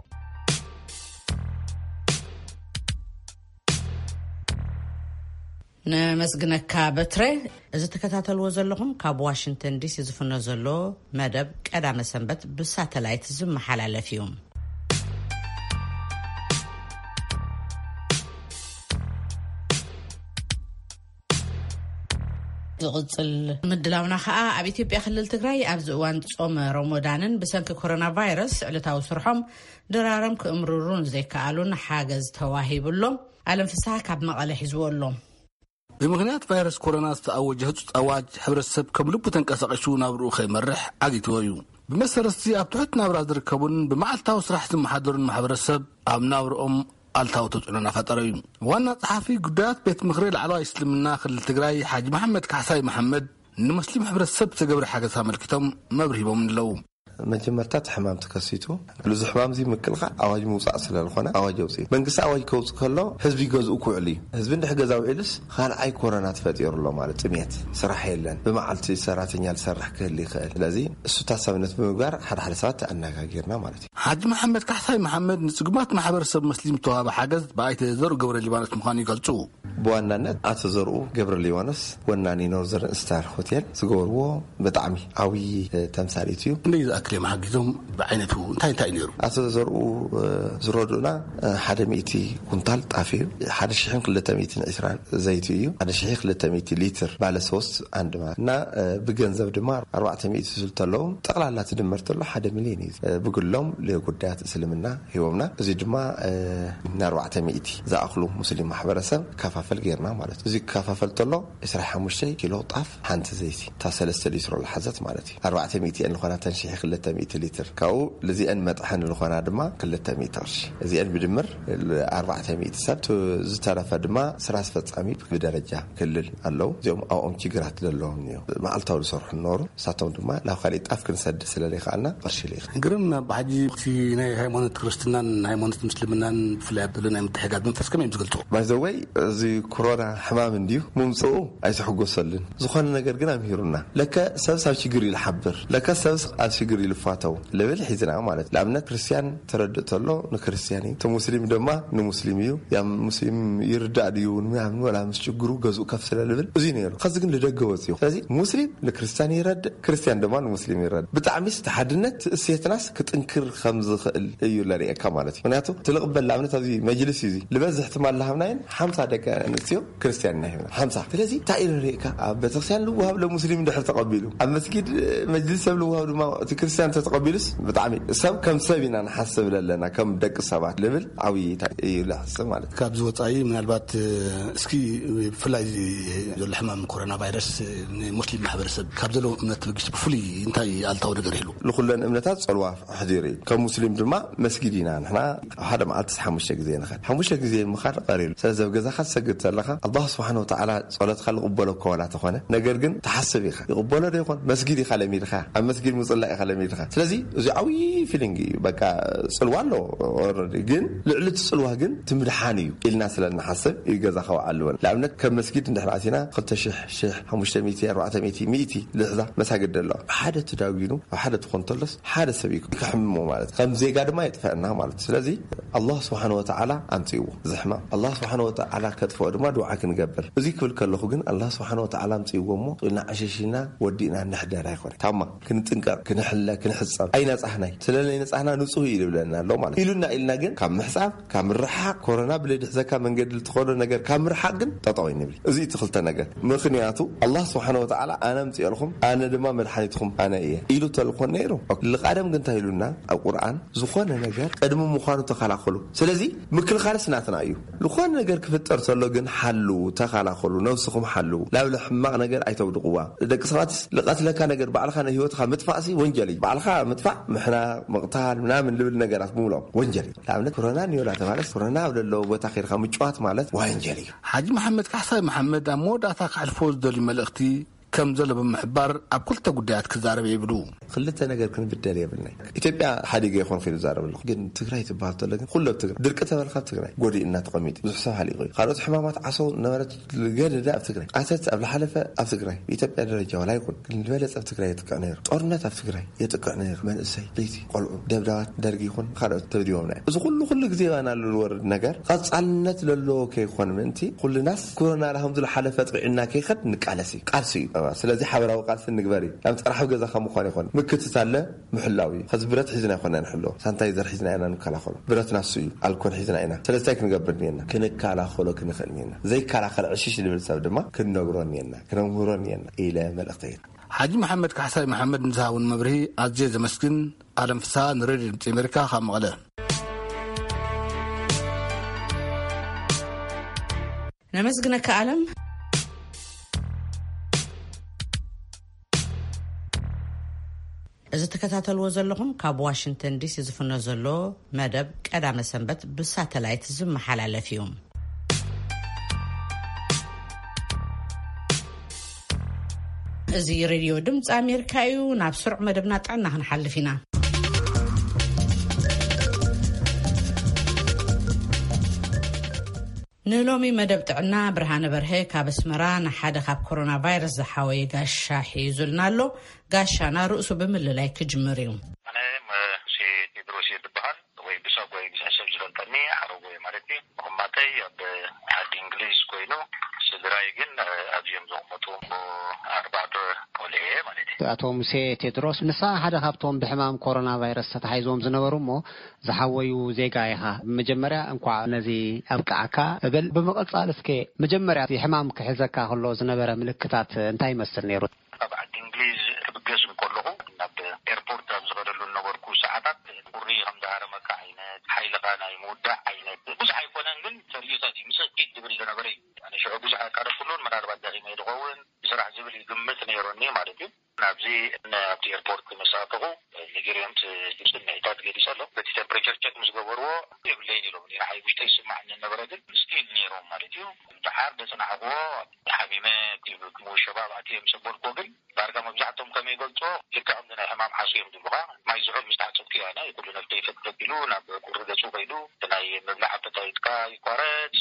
ነመስግነካ በትረ። እዚ ትከታተልዎ ዘለኹም ካብ ዋሽንግተን ዲሲ ዝፍኖ ዘሎ መደብ ቀዳመ ሰንበት ብሳተላይት ዝመሓላለፍ እዩ። ዝቕጽል ምድላውና ኸኣ ኣብ ኢትዮጵያ ክልል ትግራይ ኣብዚ እዋን ጾመ ሮሞዳንን ብሰንኪ ኮሮና ቫይረስ ዕለታዊ ስርሖም ድራሮም ክእምርሩ ንዘይከኣሉን ሓገዝ ተዋሂቡ ኣሎ። ኣለም ፍስሓ ካብ መቐለ ሒዝዎ ኣሎ። ብምኽንያት ቫይረስ ኮሮና ዝተኣወጀ ህጹጽ ኣዋጅ፣ ሕብረተሰብ ከም ልቡ ተንቀሳቒሱ ናብርኡ ከይመርሕ ዓጊትዎ እዩ። ብመሰረት እዚ ኣብ ትሑት ናብራ ዝርከቡን ብመዓልታዊ ስራሕ ዝመሓደሩን ማሕበረሰብ ኣብ ናብርኦም ኣልታዊ ተጽዕኖ እናፈጠረ እዩ። ዋና ጸሓፊ ጉዳያት ቤት ምኽሪ ላዕለዋይ እስልምና ክልል ትግራይ ሓጂ መሓመድ ካሕሳይ መሓመድ ንመስሊም ሕብረተሰብ ዝተገብረ ሓገዝ ኣመልኪቶም መብርሂ ሂቦም ኣለዉ። መጀመርታ እቲ ሕማም ተከሲቱ፣ እዚ ሕማም እዚ ምክልኻል ኣዋጅ ምውፃእ ስለ ዝኾነ ኣዋጅ ኣውፅኡ። መንግስቲ ኣዋጅ ከውፅእ ከሎ ህዝቢ ገዝኡ ክውዕል እዩ። ህዝቢ እንድሕር ገዛ ውዒሉስ ካልኣይ ኮሮና ተፈጢሩ ኣሎ ማለት፣ ጥሜት፣ ስራሕ የለን፣ ብመዓልቲ ሰራተኛ ዝሰርሕ ክህል ይኽእል። ስለዚ እሱ ታሳብነት ብምግባር ሓደ ሓደ ሰባት ኣነጋጊርና ማለት እዩ። ሓጂ መሓመድ ካሕሳይ መሓመድ ንጽጉማት ማሕበረሰብ መስሊም ዝተዋህበ ሓገዝ ብኣይተ ዘርኡ ገብረ ሊባኖስ ምዃኑ ይገልጹ። ብዋናነት ኣቶ ዘርኡ ገብረ ሊባኖስ ወናኒ ኖርዘርን ስታር ሆቴል ዝገበርዎ ብጣዕሚ ዓብዪ ተምሳሌት እዩ። ክንደይ ዝኣክል እዮም ሓጊዞም? ብዓይነቱ እንታይ እንታይ ነይሩ? ኣቶ ዘርኡ ዝረድኡና ሓደ ሚእቲ ኩንታል ጣፍ እዩ። ሓደ ሽሕን ክልተ ሚእትን ዕስራን ዘይቲ እዩ። ሓደ ሽሕ ክልተ ሚእቲ ሊትር ባለ ሶስት ኣንድ ማለት እና ብገንዘብ ድማ ኣርባዕተ ሚእቲ ስልተለዎም ጠቕላላ ትድመር ተሎ ሓደ ሚልዮን እዩ። ብግሎም ለጉዳያት እስልምና ሂቦምና። እዚ ድማ ንኣርባዕተ ሚእቲ ዝኣኽሉ ሙስሊም ማሕበረሰብ ከፋፈል ጌርና ማለት እዩ። እዚ ክከፋፈል ተሎ ዕስራ ሓሙሽተ ኪሎ ጣፍ ሓንቲ ዘይቲ እታ ሰለስተ ሊትሮ ዝሓዘት ማለት እዩ። ኣርባዕተ ሚእቲ እየን ዝኾና ተን ሽሕ ክልተ ሚእቲ ሊትር ካብኡ ልዚአን መጥሐን ዝኾና ድማ ክልተ ሚእቲ ቅርሺ። እዚአን ብድምር ኣርባዕተ ሚእቲ ሰብ ዝተረፈ ድማ ስራ ኣስፈፃሚ ብደረጃ ክልል ኣለዉ። እዚኦም ኣብኦም ችግራት ዘለዎም እዮም። መዓልታዊ ዝሰርሑ ነበሩ። ንሳቶም ድማ ናብ ካሊእ ጣፍ ክንሰድ ስለ ዘይከኣልና ቅርሺ ልኢኽ። ግርም፣ ብሓጂ እቲ ናይ ሃይማኖት ክርስትናን ሃይማኖት ምስልምናን ብፍላይ ኣብ ዘሎ ናይ ምትሕጋዝ መንፈስ ከመይ እዮም ዝገልጽዎ? ባይዘወይ እዚ ኮሮና ሕማም እንድዩ ምምፅኡ ኣይትሕጎሰሉን። ዝኾነ ነገር ግን ኣምሂሩና። ለከ ሰብስ ኣብ ሽግር እዩ ዝሓብር፣ ለከ ሰብስ ኣብ ሽግር እዩ ዝፋተው ልብል ሒዝና ማለት። ንኣብነት ክርስትያን ተረድእ ተሎ ንክርስትያን እዩ፣ እቲ ሙስሊም ድማ ንሙስሊም እዩ። ያ ሙስሊም ይርዳእ ድዩ ንምናምን ወላ ምስ ሽግሩ ገዝኡ ከፍ ስለ ልብል እዚ ነይሩ። ከዚ ግን ልደገ ወፅዩ። ስለዚ ሙስሊም ንክርስትያን ይረድእ፣ ክርስትያን ድማ ንሙስሊም ይረድእ። ብጣዕሚስ እቲ ሓድነት እሴትናስ ክጥንክር ከም ዝኽእል እዩ ለርእየካ ማለት እዩ። ምክንያቱ እቲ ልቕበል ንኣብነት ኣብዚ መጅልስ እዩ እዚ ልበዝሕ ትማል ላሃብናየን ሓምሳ ደቂ ኣንስትዮ ክርስትያን ኢና ሂብና ሓምሳ። ስለዚ እንታይ እዩ ለርእየካ ኣብ ቤተክርስትያን ልውሃብ ለሙስሊም ድሕር ተቐቢሉ ኣብ መስጊድ መጅልስ ሰብ ልውሃብ ድማ እቲ ክርስትያን ተተቐቢሉስ ብጣዕሚ ሰብ ከም ሰብ ኢና ንሓስብ ለለና ከም ደቂ ሰባት ልብል ዓብዪ እዩ ለሕስብ ማለት እዩ። ካብዚ ወፃኢ ምናልባት እስኪ ብፍላይ ዘሎ ሕማም ኮሮና ቫይረስ ንሙስሊም ማሕበረሰብ ካብ ዘለዎ እምነት ተበጊሱ ብፍሉይ እንታይ ኣልታዊ ነገር ይህሉ? ንኩለን እምነታት ፀልዋ ኣሕዲሩ እዩ። ከም ሙስሊም ድማ መስጊድ ኢና ንሕና ኣብ ሓደ መዓልቲ ሓሙሽተ ግዜ ንኸድ። ሓሙሽተ ግዜ ምኻድ ቀሪሉ። ስለዚ ኣብ ገዛኻ ትሰግድ ዘለኻ ኣላህ ስብሓን ወተዓላ ጸሎትካ ልቕበሎ እኮ ዋላ ተኾነ፣ ነገር ግን ትሓስብ ኢኻ። ይቕበሎ ዶ ይኾን? መስጊድ ኢኻ ለሚድኻ፣ ኣብ መስጊድ ምጽላእ ኢኻ ለሚድኻ። ስለዚ እዚ ዓብዪ ፊሊንግ እዩ። በቃ ጽልዋ ኣለዎ ኦረዲ፣ ግን ልዕሊ እቲ ጽልዋ ግን እቲ ምድሓን እዩ ኢልና ስለ እንሓስብ እዩ ገዛኻ ውዓል ዝበል። ንኣብነት ከም መስጊድ እንድሕር ኣቲና ክልተ ሽሕ፣ ሽሕ፣ ሓሙሽተ ሚእቲ፣ ኣርባዕተ ሚእቲ፣ ሚእቲ ልሕዛ መሳግድ ኣሎ። ሓደ ተዳጒኑ ኣብ ሓደ ትኾን ተሎስ ሓደ ሰብ እዩ ክሕምሞ ማለት። ከም ዜጋ ድማ የጥፈአና ማለት። ስለዚ ኣላህ ስብሓን ወተዓላ ኣምፅእዎ እዚ ሕማም። ኣላህ ስብሓን ወተዓላ ከጥፍኦ ድማ ድዓ ክንገብር። እዚ ክብል ከለኹ ግን ኣላህ ስብሓን ወተዓላ ኣምፅእዎ እሞ ኢልና ዓሸሽና ወዲእና ንሕደር ኣይኮነ። ታማ ክንጥንቀቕ፣ ክንሕለ፣ ክንሕፀብ ኣይነፃህናይ። ስለ ዘይነፃህና ንፁህ እዩ ዝብለና ኣሎ ማለት። ኢሉና ኢልና ግን ካብ ምሕፃብ፣ ካብ ምርሓቕ፣ ኮሮና ብለይ ድሕዘካ መንገዲ ልትኸዶ ነገር ካብ ምርሓቕ ግን ጠጠው ኣይንብል። እዚ እቲ ክልተ ነገር። ምኽንያቱ ኣላህ ስብሓን ወተዓላ ኣነ ኣምፅኤልኩም፣ ኣነ ድማ መድሓኒትኩም ኣነ እየ ኢሉ ተልኮን ነይሩ። ልቃደም ግን እንታይ ኢሉና ኣብ ቁርኣን? ዝኾነ ነገር ቅድሚ ምዃኑ ተኸላኸሉ። ስለዚ ምክልኻልስ ናትና እዩ። ዝኾነ ነገር ክፍጠር ተሎ ግን ሓልዉ፣ ተኸላኸሉ፣ ነብስኹም ሓልዉ። ናብ ሕማቕ ነገር ኣይተውድቕዋ። ደቂ ሰባትስ ልቐትለካ ነገር ባዕልኻ ንህይወትኻ ምጥፋእሲ ወንጀል እዩ። ባዕልኻ ምጥፋእ፣ ምሕናቕ፣ ምቕታል፣ ምናምን ልብል ነገራት ብምሎም ወንጀል እዩ። ንኣብነት ኮሮና እኒኦ እናተባህለስ ኮሮና ኣብ ዘለዎ ቦታ ከይድካ ምጭዋት ማለት ወንጀል እዩ። ሓጂ መሓመድ ካሕሳይ መሓመድ ኣብ መወዳእታ ከሕልፎ ዝደልዩ መልእኽቲ ከም ዘሎ ብምሕባር ኣብ ክልተ ጉዳያት ክዛረብ ይብሉ። ክልተ ነገር ክንብደል የብልናይ። ኢትዮጵያ ሓዲገ ይኾን ኪሉ ዛረብ ኣለኹ። ግን ትግራይ ትበሃል ተሎ ግን ኩሉ ኣብ ትግራይ። ድርቂ ተበልካ ኣብ ትግራይ ጎዲእና ተቐሚጡ። ብዙሕ ሰብ ሃሊቑ እዩ። ካልኦት ሕማማት ዓሶ ነበረት ገደደ ኣብ ትግራይ። ኣተት ኣብ ዝሓለፈ ኣብ ትግራይ። ብኢትዮጵያ ደረጃ ዋላ ይኹን። ግን ዝበለጸ ኣብ ትግራይ የጥቅዕ ነይሩ። ጦርነት ኣብ ትግራይ የጥቅዕ ነይሩ። መንእሰይ፣ ለይቲ፣ ቆልዑ፣ ደብዳባት ደርጊ ይኹን ካልኦት ተብዲቦም ናይ። እዚ ኩሉ ኩሉ ግዜ ባና ዝወርድ ነገር ቀጻልነት ለለዎ ከይኮን ምእንቲ ኩልናስ ኮሮና ዳህም ዝለሓለፈ ጥዕና ከይኸድ ንቃለስ እዩ። ቃልሲ እዩ። ስለዚ ሓበራዊ ቃልሲ ንግበር እዩ። ናብ ጥራሕ ኣብ ገዛኻ ምዃን ይኾን። ምክትታለ ምሕላው እዩ። ከዚ ብረት ሒዝና ይኮና ንሕሎ። ሳንታይዘር ሒዝና ኢና ንከላኸሎ። ብረት ናሱ እዩ። ኣልኮል ሒዝና ኢና። ስለዚ እንታይ ክንገብር እኒአና? ክንከላኸሎ ክንኽእል እኒአና። ዘይከላኸል ዕሽሽ ዝብል ሰብ ድማ ክንነግሮ እኒአና። ክነምህሮ እኒአና ኢለ መልእኽተይ። ሓጂ መሓመድ ካሕሳይ መሓመድ ንዝሃቡን መብርሂ ኣዝየ ዘመስግን። ኣለም ፍስሃ ንሬድዮ ድምፂ ኣሜሪካ ካብ መቐለ። ነመስግነካ ኣለም። እዚ ትከታተልዎ ዘለኹም ካብ ዋሽንግተን ዲሲ ዝፍኖ ዘሎ መደብ ቀዳመ ሰንበት ብሳተላይት ዝመሓላለፍ እዩ። እዚ ሬድዮ ድምፂ ኣሜሪካ እዩ። ናብ ስሩዕ መደብና ጥዕና ክንሓልፍ ኢና። ንሎሚ መደብ ጥዕና ብርሃነ በርሀ ካብ ኣስመራ ንሓደ ካብ ኮሮና ቫይረስ ዝሓወየ ጋሻ ሒዙልና ኣሎ። ጋሻና ርእሱ ብምልላይ ክጅምር እዩ። ኣነ መ-፣ ሼ ቴድሮስ እየ ዝብሃል። ስድራይ ግን ኣዝዮም ዝቕመጡ ኣርባዕተ ቆልዑ እየ ማለት እዩ። ኣቶ ሙሴ ቴድሮስ፣ ንስኻ ሓደ ካብቶም ብሕማም ኮሮና ቫይረስ ተታሒዞም ዝነበሩ እሞ ዝሓወዩ ዜጋ ኢኻ። መጀመርያ እንኳዕ ነዚ ኣብቅዓካ እብል። ብምቕጻል እስከ መጀመርያ እቲ ሕማም ክሕዘካ ከሎ ዝነበረ ምልክታት እንታይ ይመስል ነይሩ? ኣብ ዓዲ እንግሊዝ ክብገስ እንከለኹ ናብ ኤርፖርት ኣብ ዝኸደሉ ዝነበርኩ ሰዓታት ቁሪ ከም ዝሃረመካ ዓይነት፣ ሓይልኻ ናይ ምውዳእ ዓይነት ብዙሕ ኣይኮነን፣ ግን ተርእዩታት እዩ። ምስ እኪት ዝብል ዝነበረ እዩ። ኣነ ሽዑ ብዙሕ ኣቃረብኩሉን ምናልባት ደኺመ ዝኸውን ብስራሕ ዝብል ይግምት ነይሩኒ ማለት እዩ። ናብዚ ን-፣ ኣብቲ ኤርፖርት ምስ ኣተኹ ነጊርዮም እቲ ስምዒታት ገሊጸ ኣሎ። በቲ ቴምፕሬቸር ቸክ ምስ ገበርዎ የብለይን ኢሎም። ንዓይ ውሽጠይ ይስማዓኒ ነበረ፣ ግን ስቲል ነይሮም ማለት እዩ። ደሓር ደጽናዕክዎ ሓሚመ እቲ ክምውሸባ ኣብኣትየ ምስ ኣበልክዎ ግን ዳርጋ መብዛሕቶም ከም ይገልጾ ልክዕ ከምዚ ናይ ሕማም ዓሱ እዮም ዝብሉኻ። ማይ ዝሑል ምስ ተሓጸብኩ እያ ናይ ኩሉ ነፍተይ ፈትፈት ኢሉ ናብ ቁሪ ገጹ ከይዱ፣ እቲ ናይ ምብላዕ ኣፐታይትካ ይቋረጽ፣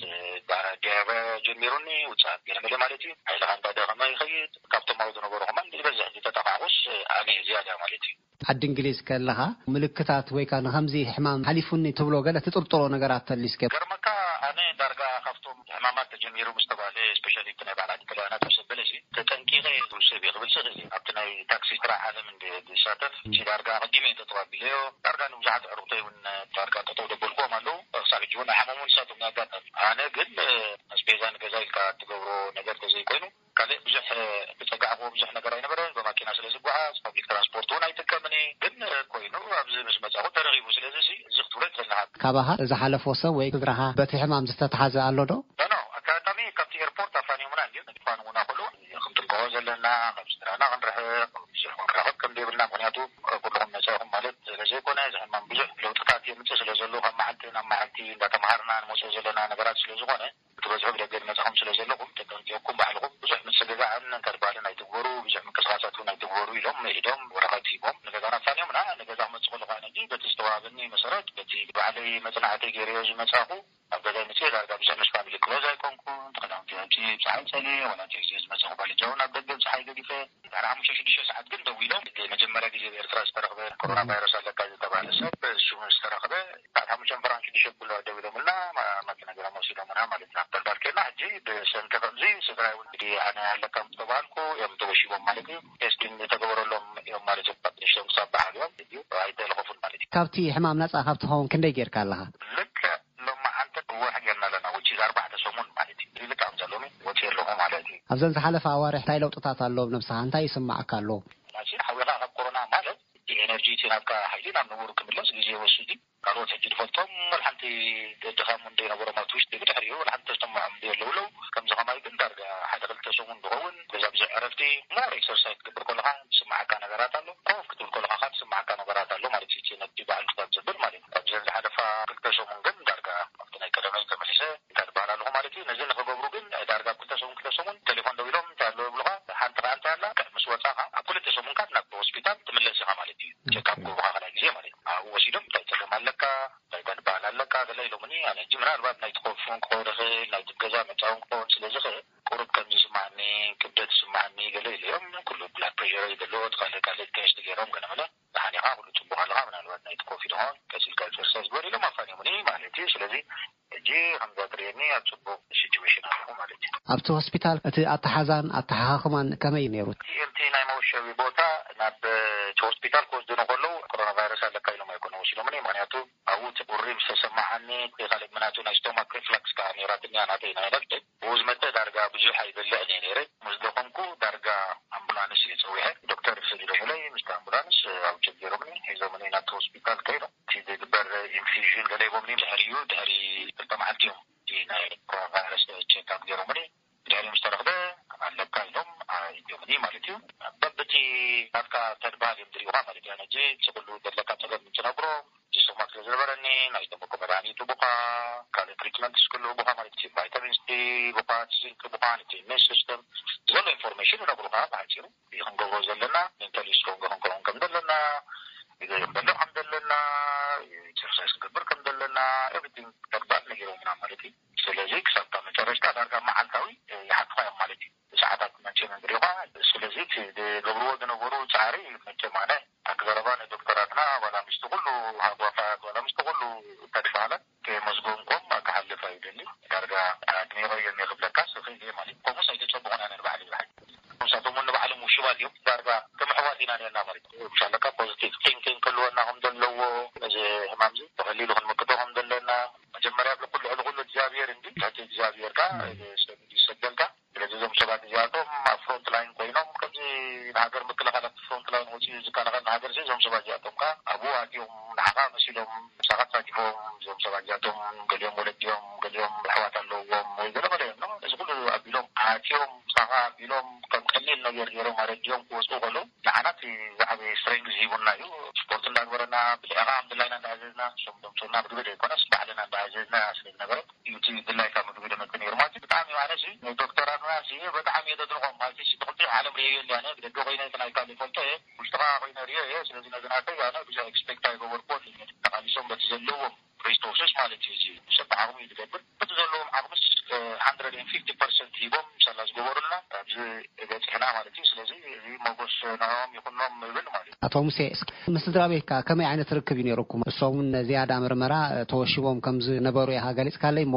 ዳራ ዲያርያ ጀሚሩኒ፣ ውጽኣት ገለ መለ ማለት እዩ። ሓይልኻ እንዳደኸመ ይኸይድ። ካብቶም ኣብኡ ዝነበሩ ከማን ዝበዝሕ ዝተጠቃዕኩስ ኣነ እየ ዝያዳ ማለት እዩ። ዓዲ እንግሊዝ ከለኻ ምልክታት ወይ ከኣ ንኸምዚ ሕማም ሓሊፉኒ ትብሎ ገለ ትጥርጥሮ ነገራት ተልዩ እስከ? ገርመካ ኣነ ዳርጋ ካብቶም ሕማማት ተጀሚሩ ምስ ተባለ፣ ስፔሻሊ እቲ ናይ በዓል ዓዲ ጥልያናት ምስ ኣበለ ሲ፣ ተጠንቂቐ ዝውሰብ እየ ክብል ዝኽእል እየ። ኣብቲ ናይ ታክሲ ስራሕ ዓለም እንደ ዝሳተፍ፣ እቲ ዳርጋ ኣቐዲመ እየ ጠጠው ኣቢለዮ። ዳርጋ ንብዙሓት ኣዕሩኽተይ እውን ዳርጋ ጠጠው ደበልክዎም ኣለዉ። ክሳብ ሕጂ እውን ኣይሓመሙን ንሳቶም ናይ ኣጋጣሚ። ኣነ ግን፣ እ፣ ኣስቤዛ ንገዛ ኢልካ እትገብሮ ነገር ተዘይኮይኑ፣ ካልእ ብዙሕ፣ እ፣ እተጸጋዕክዎ ብዙሕ ነገር ኣይነበረን። ብማኪና ስለ ዝጓዓዝ፣ ፓብሊክ ትራንስፖርት እውን ኣይጥቀምን እየ። ግን፣ እ፣ ኮይኑ ኣብዚ ምስ መጻኹ ተረኺቡ። ስለዚ ሲ፣ እዚ ክትብሎ ይኽእል ኢኻ። ካባኻ ዝሓለፎ ሰብ ወይ ስድራኻ በቲ ሕማም ዝተትሓዘ ኣሎ ዶ? ኖ፣ ኖ፣ ኣጋጣሚ ካብቲ ኤርፖርት ኣፋንዮምና እንድዮም። ኣፋንዮምና ከለዉ ክንጥንቀቖ ዘለና፣ ካብ ስድራና ክንርሕቕ፣ ብዙሕ ክንራኸብ ከም ዘይብልና፣ ምኽንያቱ ኩልኹም ነጻ ኢኹም ማለት ስለ ዘይኮነ፣ እዚ ሕማም ብዙሕ ለውጥታት የምጽእ ስለ ዘሎ፣ ካብ መዓልቲ ናብ መዓልቲ እንዳተምሃርና ንመጽኦ ዘለና ነገራት ስለ ዝኾነ፣ እቲ በዝሒ ብደገ ዝመጻኹም ስለ ዘለኹም፣ ተጠንቂቕኩም ባዕልኹም ብዙሕ ምጽግጋዕን ከድባልን ኣይትግበሩ፣ ብዙሕ ምንቅስቓሳት እውን ኣይትግበሩ ኢሎም ምዒዶም ወረቐት ሂቦም ንገዛና ኣፋንዮምና። ንገዛ ክመጽእ ከለኹ ኣነ ግን በቲ ዝተዋህበኒ መሰረት፣ በቲ ባዕለይ መጽናዕቲ ገይረዮ ዝመጻኹ፣ ኣብ ገዛይ መጽየ ዳርጋ ብዙሕ ምስ ፋሚሊ ክሎዝ ኣይኮንኩን። ተኸዳውንቲ ኣውጺኤ ብጸሓይ ጸልየ፣ ዋላ እቲ ግዜ ዝመጻኹ ባልጃ እውን ኣብ ደገ ብጸሓይ ገዲፈ። ድሕሪ ሓሙሽተ ሽዱሽተ ሰዓት ግን ደዊሎም፣ መጀመርያ ግዜ ኣብ ኤርትራ ዝተረኽበ ኮሮና ቫይረስ ኣለካ ዝተባህለ ሰብ፣ እሱ ምስ ተረኽበ፣ ሰዓት ሓሙሽተ ፍራን ሽዱሽተ ክብሉ ደዊሎምልና፣ ማ-፣ ማኪና ገይሮም ወሲዶምና ማለት እዩ። ኣብ ተግባር ኬድና ሕጂ ብሰንኪ ከምዚ ስድራይ እውን እንግዲህ ኣነ ኣለካ ምስ ተባሃልኩ እዮም ተወሺቦም ማለት እዩ። ቴስቲንግ ዝተገበረሎም እዮም ማለት እዩ። ካብ ንሽቶም ክሳብ በዓል እዮም። ሕጂ ኣይተለኸፉን ማለት እዩ። ካብቲ ሕማም ነጻ ካብ ትኸውን ክንደይ ጌርካ ኣለኻ? ልክዕ ሎማዓንቲ እወ ሓጊርና ኣለና፣ which is ኣርባዕተ ሰሙን ማለት እዩ። እዚ ልክዕ ከምዛ ሎሚ ወፂአ ኣለኹ ማለት እዩ። ኣብዘን ዝሓለፋ ኣዋርሕ እንታይ ለውጥታት ኣሎ ኣብ ነብስኻ? እንታይ ይስማዓካ ኣሎ? ሕጂ ሓዊኻ ካብ ኮሮና ማለት እቲ ኤነርጂ፣ እቲ ናትካ ሓይሊ ናብ ንቡር ክምለስ ግዜ ይወስድ እዩ። ካልኦት ሕጂ ዝፈልጦም ወላ ሓንቲ ድኻም እንደይነበሮም ኣብቲ ውሽጢ ብድሕሪኡ ወላ ሓንቲ ተሰምዖም እንደየለዉ ኣለዉ። ከምዚ ከማይ ግን ዳርጋ ሓደ ክልተ ሰሙን ዝኸውን ገዛ ብዙሕ ዕረፍቲ፣ ሞር ኤክሰርሳይዝ ክትገብር ከለኻ ዝስማዓካ ነገራት ኣሎ። ኮፍ ክትብል ከለኻ ከዓ ዝስማዓካ ነገራት ኣሎ ማለት እዩ። እቲ ነቲ በዓል ክሳብ ዘብል ማለት እዩ። ካብዘን ዝሓለፋ ክልተ ሰሙን ግን ዳርጋ ኣብቲ ናይ ቀደመይ ተመሊሰ እንታይ ዝበሃል ኣለኹ ማለት እዩ። ነዚ ንኽገብሩ ግን ዳርጋ ኣብ ክልተ ሰሙን፣ ክልተ ሰሙን ቴሌፎን ደዊሎም እንታይ ኣለዎ ይብሉኻ። ሓንቲ ኸዓ እንታይ ኣላ፣ ምስ ወጻኻ ኣብ ክልተ ሰሙን ካብ ናብ ሆስፒታል ትምለስ ኢኻ ማለት እዩ። ኦኬ። ቸካፕ ክገብሩኻ ካልኣይ ግዜ ማለት እዩ። ኣብኡ ወሲዶም እንታይ ጸገም ኣለካ፣ እንታይ ጓንባል ኣለካ፣ ገለ ኢሎምኒ። ኣነ ሕጂ ምናልባት ናይቲ ኮፍ እውን ክኸውን ይኽእል፣ ናይቲ ገዛ መጻ እውን ክኸውን ስለ ዝኽእል፣ ቁሩብ ከም ዝስማዓኒ፣ ክብደት ዝስማዓኒ ገለ ኢለዮም። ኩሉ ብላድ ፕሬሸረይ ገለ፣ እቲ ካልእ ካልእ ቴስት ገይሮም፣ ገለ መለ፣ ደሓን ኢኻ፣ ኩሉ ጽቡቕ ኣለኻ፣ ምናልባት ናይቲ ኮፍ ይኸውን፣ ቀጺልካ ኤክሰርሳይዝ ግበር ኢሎም ኣፋንዮምኒ ማለት እዩ። ስለዚ ሕጂ ከምዛ ትርእየኒ ኣብ ጽቡቕ ሲቹዌሽን ኣለኹ ማለት እዩ። ኣብቲ ሆስፒታል እቲ ኣተሓዛን ኣተሓኻኽማን ከመይ እዩ ነይሩ? እቲ፣ እቲ ናይ መወሸቢ ቦታ ናብ እቲ ሆስፒታል ክወስዱኒ ከለዉ ኮሮና ቫይረስ ኣለካ ኢሎም ኣይኮነ ወሲዶምኒ። ምኽንያቱ ኣብኡ እቲ ቁሪ ምስ ተሰማዓኒ፣ እቲ ካልእ ምናቱ ናይ ስቶማክ ሪፍላክስ ከኣ ነይራትኒ እያ ናተይ ናይ ነፍሰይ። ብኡ ዝመጸ ዳርጋ ብዙሕ ኣይበልዕን እየ ነይረ። ምስ ደኸምኩ ዳርጋ ኣምቡላንስ እየ ጸዊዐ። ዶክተር ሰዲዶምለይ ምስቲ ኣምቡላንስ ኣብ ጀቢሮምኒ ሒዞምኒ ናብቲ ሆስፒታል ከይዶም። እቲ ዝግበር ኢንፊዥን ገለ ሂቦምኒ። ድሕሪኡ ድሕሪ ክልተ መዓልቲ እዮም እቲ ናይ ኮሮና ቫይረስ ቼክ ኣፕ ገይሮምኒ። ድሕሪኡ ምስ ተረኽበ ኣለካ ኢሎም ኣእትዮምኒ ማለት እዩ። በብቲ ናትካ ተድባል እዮም ዝሪኡኻ ማለት እዩ። ኣነ ሕጂ እቲ ኩሉ ዘለካ ጸገም እንትነግሮም፣ እዚ ስቶማክ ስለ ዝነበረኒ ናይ ስቶማክ መድሃኒት ሂቡኻ፣ ካልእ ትሪትመንት ክህሉ ሂቡኻ ማለት እዩ። ቫይታሚን ሲ ሂቡኻ፣ ዚንክ ሂቡኻ፣ ነቲ ኢሚዩን ሲስተም ዘሎ ኢንፎርሜሽን ይነግሩኻ ብሓጺሩ። እዚ ክንገብሮ ዘለና፣ ሜንታሊ ስትሮንግ ክንከውን ከም ዘለና፣ ክንበልዕ ከም ዘለና፣ ኤክሰርሳይዝ ክንገብር ከም ዘለና፣ ኤቭሪቲንግ ተግባር ነጊሮምና ማለት እዩ። ስለዚ ክሳብ መጨረሽታ ዳርጋ መዓልታዊ ይሓቱኻ እዮም ማለት እዩ። ሰዓታት መቸም እንድሪኻ። ስለዚ እቲ ዝገብርዎ ዝነበሩ ጻዕሪ መቸም ኣነ ኣቲ ዘረባ ንዶክተራትና ዋላ ምስቲ ኩሉ ሃጓፋት ዋላ ምስቲ ኩሉ ተድባላት ከየመስገንኩም ክሓልፍ ኣይደሊ። ዳርጋ ኣድኒቐዮም እየ ክብለካስ ኢና ኔርና ማለት እዩ። ምሻለካ ፖዚቲቭ ቲንኪንግ ክህልወና ከም ዘለዎ፣ እዚ ሕማም እዚ ብቐሊሉ ክንምክቶ ከም ዘለና፣ መጀመርያ ኣብ ኩሉ ልዕሊ ኩሉ እግዚኣብሔር እንዲ፣ ትሕቲ እግዚኣብሔር ከኣ ሰብ እንዲ ዝሰደልካ። ስለዚ እዞም ሰባት እዚኣቶም ኣብ ፍሮንት ላይን ኮይኖም፣ ከምዚ ንሃገር ምክልኻል ኣብቲ ፍሮንት ላይን ወፂኡ ዝከላኸል ንሃገር ሲ፣ እዞም ሰባት እዚኣቶም ከኣ ኣብኡ ኣትዮም ንዓኻ መሲሎም ምሳኻ ተሳቲፎም። እዞም ሰባት እዚኣቶም ገሊኦም ወለዲኦም፣ ገሊኦም ኣሕዋት ኣለዎም ወይ ገለ ገለ እዮም። እዚ ኩሉ ኣቢሎም ኣትዮም ምሳኻ ኣቢሎም ከም ቀሊል ነገር ገይሮም ኣረዲኦም ክወፅኡ ከለዉ፣ ንዓና እቲ ዝዓበየ ስትሬንግዝ ሂቡና እዩ። ስፖርት እንዳግበረና፣ ብልዕኻ ከም ድላይና እንዳኣዘዝና፣ እሶም ደምፅኡና ምግቢ ዘይኮነስ ባዕልና እንዳኣዘዝና ስለ ዝነበረ፣ እዩ እቲ ድላይካ ምግቢ ደመጽእ ነይሩ ማለት እዩ። ብጣዕሚ ኣነ ሲ ንዶክተራትና ሲ ብጣዕሚ እየ ዘድንቖም። ማለት ሲ እቲ ክልቲኡ ዓለም ርእየዮ እንዲ ኣነ ብደገ ኮይነ እቲ ናይ ካሊ ፈልጦ እየ፣ ውሽጥኻ ኮይነ ርእዮ እየ። ስለዚ ነዚ ናተይ ኣነ ብዙሕ ኤክስፔክት ኣይገበርኩዎን። ተቓሊሶም በቲ ዘለዎም ሪሶርስስ ማለት እዩ። እዚ ሰብ ብዓቕሙ እዩ ዝገብር። በቲ ዘለዎም ዓቕምስ ሃንድረድ ኤንድ ፊፍቲ ፐርሰንት ሂቦም ሳላ ዝገበሩልና ኣብዚ በፂሕና ማለት እዩ። ስለዚ እዚ ሞጎስ ንዕኦም ይኹኖም ይብል ማለት እዩ። ኣቶ ሙሴ፣ እስኪ ምስ ስድራ ቤትካ ከመይ ዓይነት ርክብ እዩ ነይሩኩም? እሶም እውን ዝያዳ ምርመራ ተወሺቦም ከም ዝነበሩ ኢኻ ገሊጽካለይ እሞ።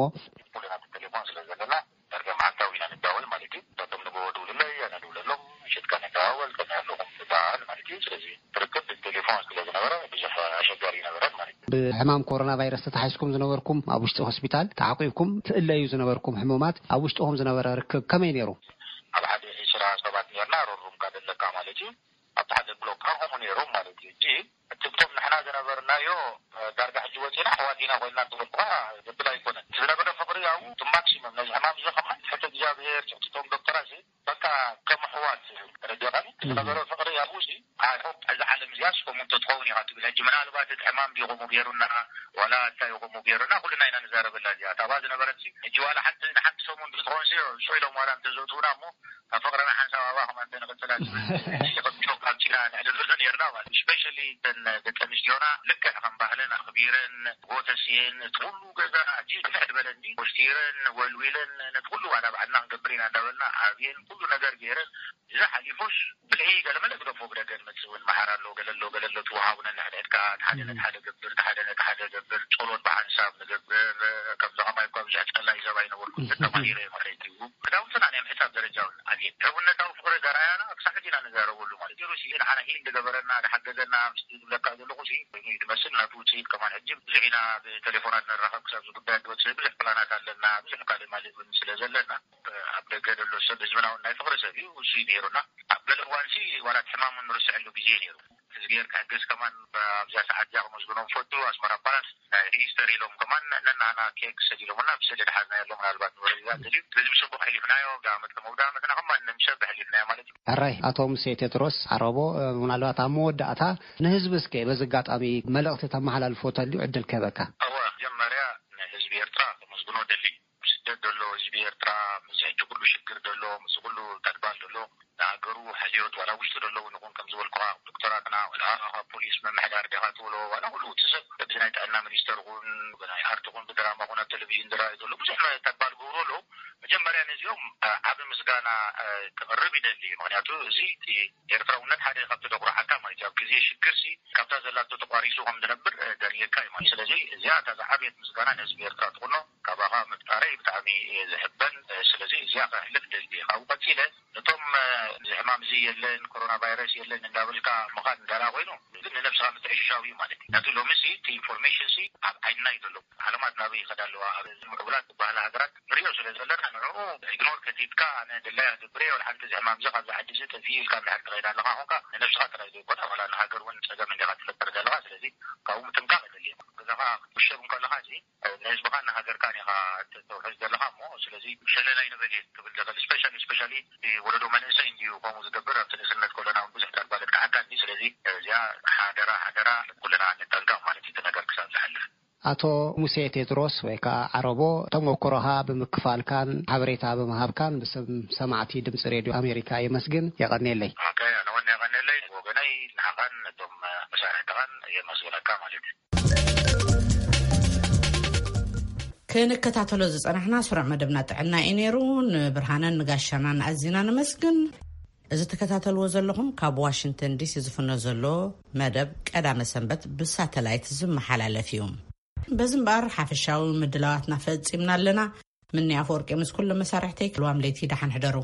ኩልና ብቴሌፎን ስለ ዘለና ዳርጋ መዓልታዊ ኢና ንዳወል ማለት እዩ። ንሳቶም ንጎ ድውልለይ፣ ኣነ ድውለሎም፣ ምሸትካ ንደዋወል፣ ከመይ ኣለኹም ንበሃል ማለት እዩ። ስለዚ ርክብ ብቴሌፎን ስለ ዝነበረ ብዙሕ ኣሸጋሪ ይነበረን ማለት እዩ። ብሕማም ኮሮና ቫይረስ ተታሒዝኩም ዝነበርኩም፣ ኣብ ውሽጢ ሆስፒታል ተዓቂብኩም ትእለዩ ዝነበርኩም ሕሙማት፣ ኣብ ውሽጥኹም ዝነበረ ርክብ ከመይ ነይሩ? ኣብ ሓደ ዒስራ ሰባት ኔርና፣ ሮሩምካ ዘለካ ማለት እዩ። ኣብቲ ሓደ ብሎክ ከምኡ ነይሮም ማለት እዩ። ሕጂ እቲ ብቶም ንሕና ዝነበርናዮ፣ እ፣ ዳርጋ ሕጂ ወፂና ኣሕዋት ኢና ኮይንና እንትበልኩኻ ዘብል ኣይኮነን። እቲ ዝነበረ ፍቕሪ ኣብኡ እቲ ማክሲመም ነዚ ሕማም እዚ ከማን ትሕቲ እግዚኣብሄር ትሕቲ ቶም ዶክተራት ሲ በቃ ከም ኣሕዋት ተረዲኻኒ። እቲ ዝነበረ ፍቕሪ ኣብኡ ሲ ኣይ ሆፕ እዛ ዓለም እዚኣ ስኮም እንተትኸውን ኢኻ ትብል። ሕጂ ምናልባት እቲ ሕማም ድዩ ከምኡ ገይሩና ዋላ እንታይ ከምኡ ገይሩና ኩልና ኢና ንዛረበላ እዚኣ። እታ ኣብኣ ዝነበረት ሲ ሕጂ ዋላ ሓንቲ ንሓንቲ ሰሙን ብዝትኸውን ሲ ሽዑ ኢሎም ዋላ እንተዘእትዉና እሞ ካብ ፍቕርና ሓንሳብ ኣባኹም ኣንተ ንቕጽላ ዝብል እዚ ከም ጆክ ኣብ ቲና ንዕልልዑ ነርና ማለት እዩ። ስፔሻሊ እተን ደቂ ኣንስትዮና ልክዕ ከም ባህለን ኣኽቢረን ጎተስየን እቲ ኩሉ ገዛ ኣዝዩ ስፍሕ ዝበለ እንዲ ወስቲረን ወልዊለን ነቲ ኩሉ ዋላ ባዕልና ክንገብር ኢና እንዳበልና ኣብየን ኩሉ ነገር ገይረን እዚ ሓሊፉስ ብልሒ ገለመለ ግደፎ ብደገ ንመጽእ እውን መሓር ኣሎ ገለ ኣሎ ገለ ኣሎ ትወሃቡነ ንሕድሕድካ እቲ ሓደ ነቲ ሓደ ገብር እቲ ሓደ ነቲ ሓደ ገብር ጸሎት ብሓንሳብ ንገብር ከምዚ ከማይ እኳ ብዙሕ ጸላይ ሰብ ኣይነበርኩን ተማሂረ ማለት እዩ። ክዳውንትና ናይ ምሕጻብ ደረጃ እውን ኣብየን። ሕውነታዊ ፍቕሪ ዘርኣያና ክሳዕ ሕጂ ኢና ንዛረበሉ ማለት እዩ። ሩሲ ንዓና ሂል ዝገበረና ዝሓገዘና ምስቲ ዝብለካ ዘለኹ ሲ ኮይኑ እዩ ዝመስል። ናቱ ውፅኢት ከማን ሕጂ ብዙሕ ኢና ብቴሌፎናት ንራኸብ ክሳብ እዚ ጉዳይ እንትወፅእ ብዙሕ ፕላናት ኣለና። ብዙሕ ካልእ ማለት እውን ስለ ዘለና ኣብ ደገ ዘሎ ሰብ ህዝብና እውን ናይ ፍቕሪ ሰብ እዩ። እሱ እዩ ነይሩና። ኣብ ገለ እዋን ሲ ዋላ እቲ ሕማሙ ንርስዐሉ ግዜ ነይሩ። እግዚኣብሔር ክሕግዝ ከማን ኣብዛ ሰዓት እዚኣ ከመስግኖም ፈቱ። ኣስመራ ፓላስ ናይ ሪጅስተር ኢሎም ከማን ነናና ኬክ ሰዲሎምና ብስእሊ ድሓዝናዮ ኣሎ። ምናልባት ንወረዳ እንተድዩ በዚ ብስቡቕ ሕሊፍናዮ። ብዳ ዓመት ከም ብዳ ዓመትና ከማን ንምሸብ ሕሊፍናዮ ማለት እዩ። ሕራይ ኣቶ ሙሴ ቴድሮስ ዓረቦ፣ ምናልባት ኣብ መወዳእታ ንህዝቢ እስከ በዚ ኣጋጣሚ መልእኽቲ ተመሓላልፎ ተልዩ ዕድል ክህበካ። እወ፣ መጀመርያ ንህዝቢ ኤርትራ ከመስግኖ ደሊ። ኣብ ስደት ዘሎ ህዝቢ ኤርትራ፣ ምስ ሕጂ ኩሉ ሽግር ዘሎ፣ ምስ ኩሉ ተድባል ዘሎ፣ ንሃገሩ ሕልዮት ዋላ ውሽጢ ዘሎ እውን ይኹን ከም ዝበልኩኻ ዶክተራትና ዋላ ካብ ፖሊስ ምምሕዳር ዲኻ ትብሎ ዋላ ኩሉ እቲ ሰብ በዚ ናይ ጥዕና ሚኒስተር ይኹን ብናይ ኣርት ይኹን ብድራማ ይኹን ኣብ ቴሌቪዥን ዝረኣዩ ዘሎ ብዙሕ ተድባል ገብሩ ኣሎ። መጀመርያ ነዚኦም ዓቢ ምስጋና ክቕርብ ይደሊ። ምኽንያቱ እዚ እቲ ኤርትራውነት ሓደ ካብቲ ደኩርዓካ ማለት እዩ። ኣብ ግዜ ሽግር ሲ ካብታ ዘላቶ ተቋሪሱ ከም ዝነብር ደርየካ እዩ ማለት። ስለዚ እዚኣ እታ ዝዓበየት ምስጋና ንህዝቢ ኤርትራ ትኹኖ። ካባኻ ምፍጣረይ ብጣዕሚ እየ ዝሕበን። ስለዚ እዚኣ ከሕልፍ ደሊ። ካብኡ ቀጺለ ነቶም እዚ ሕማም እዚ የለን፣ ኮሮና ቫይረስ የለን እንዳበልካ ምኻድ እንዳላ ኮይኑ ግን ንነብስኻ ምትዕሽሻው እዩ ማለት እዩ። ነቲ ሎሚ ሲ እቲ ኢንፎርሜሽን ሲ ኣብ ዓይንና እዩ ዘሎ። ዓለማት ናበይ ይኸዳ ኣለዋ? ኣብ ምዕቡላት ዝበሃላ ሃገራት ንሪኦ ስለ ዘለና ንዕኡ ኢግኖር ከቲትካ ኣነ ድላይ ኣገብር እየ፣ ወላ ሓንቲ እዚ ሕማም እዚ ካብዚ ዓዲ እዚ ጠፊኡ ኢልካ እንድሕር ትኸይድ ኣለኻ ኮንካ ንነብስኻ ጥራይ ዘይኮነ ዋላ ንሃገር እውን ጸገም እንዲኻ ትፈጥር ዘለኻ። ስለዚ ካብኡ ምጥንቃቕ የድሊ። ገዛኻ ክትውሸብ እንከለኻ እዚ ንህዝብኻን ንሃገርካን ኢኻ ተውሕዝ ዘለኻ እሞ ስለዚ ሸለል ኣይንበል እየ ክብል ዝኽእል። ስፔሻሊ ስፔሻሊ ወለዶ መንእሰይ እንድዩ ከምኡ ዝገብር። ኣብቲ ንእስነት ከለና እውን ብዙሕ ተግባለት ክዓካ እንዲ። ስለዚ እዚኣ ሓደራ ሓደራ ኩልና ንጠንቀቕ ማለት እዩ። እቲ ነገር ክሳብ ዝሓልፍ ኣቶ ሙሴ ቴድሮስ ወይ ከዓ ዓረቦ ተሞክሮኻ ብምክፋልካን ሓበሬታ ብምሃብካን ብስም ሰማዕቲ ድምፂ ሬድዮ ኣሜሪካ የመስግን። የቐኔለይ። ኣነ ወነ የቐኔለይ ወገነይ ንዓኻን ነቶም መሳርሕትኻን የመስግነካ ማለት እዩ። ክንከታተሎ ዝጸናሕና ስሩዕ መደብና ጥዕና እዩ ነይሩ። ንብርሃነን ንጋሻናን ኣዚና ነመስግን። እዚ ትከታተልዎ ዘለኹም ካብ ዋሽንግተን ዲሲ ዝፍኖ ዘሎ መደብ ቀዳመ ሰንበት ብሳተላይት ዝመሓላለፍ እዩ። በዚ እምበኣር ሓፈሻዊ ምድላዋትና ፈጺምና ኣለና። ምኒ ኣፈወርቂ ምስ ኩሎም መሳርሕተይ ክልዋም ለይቲ ደሓን ሕደሩ።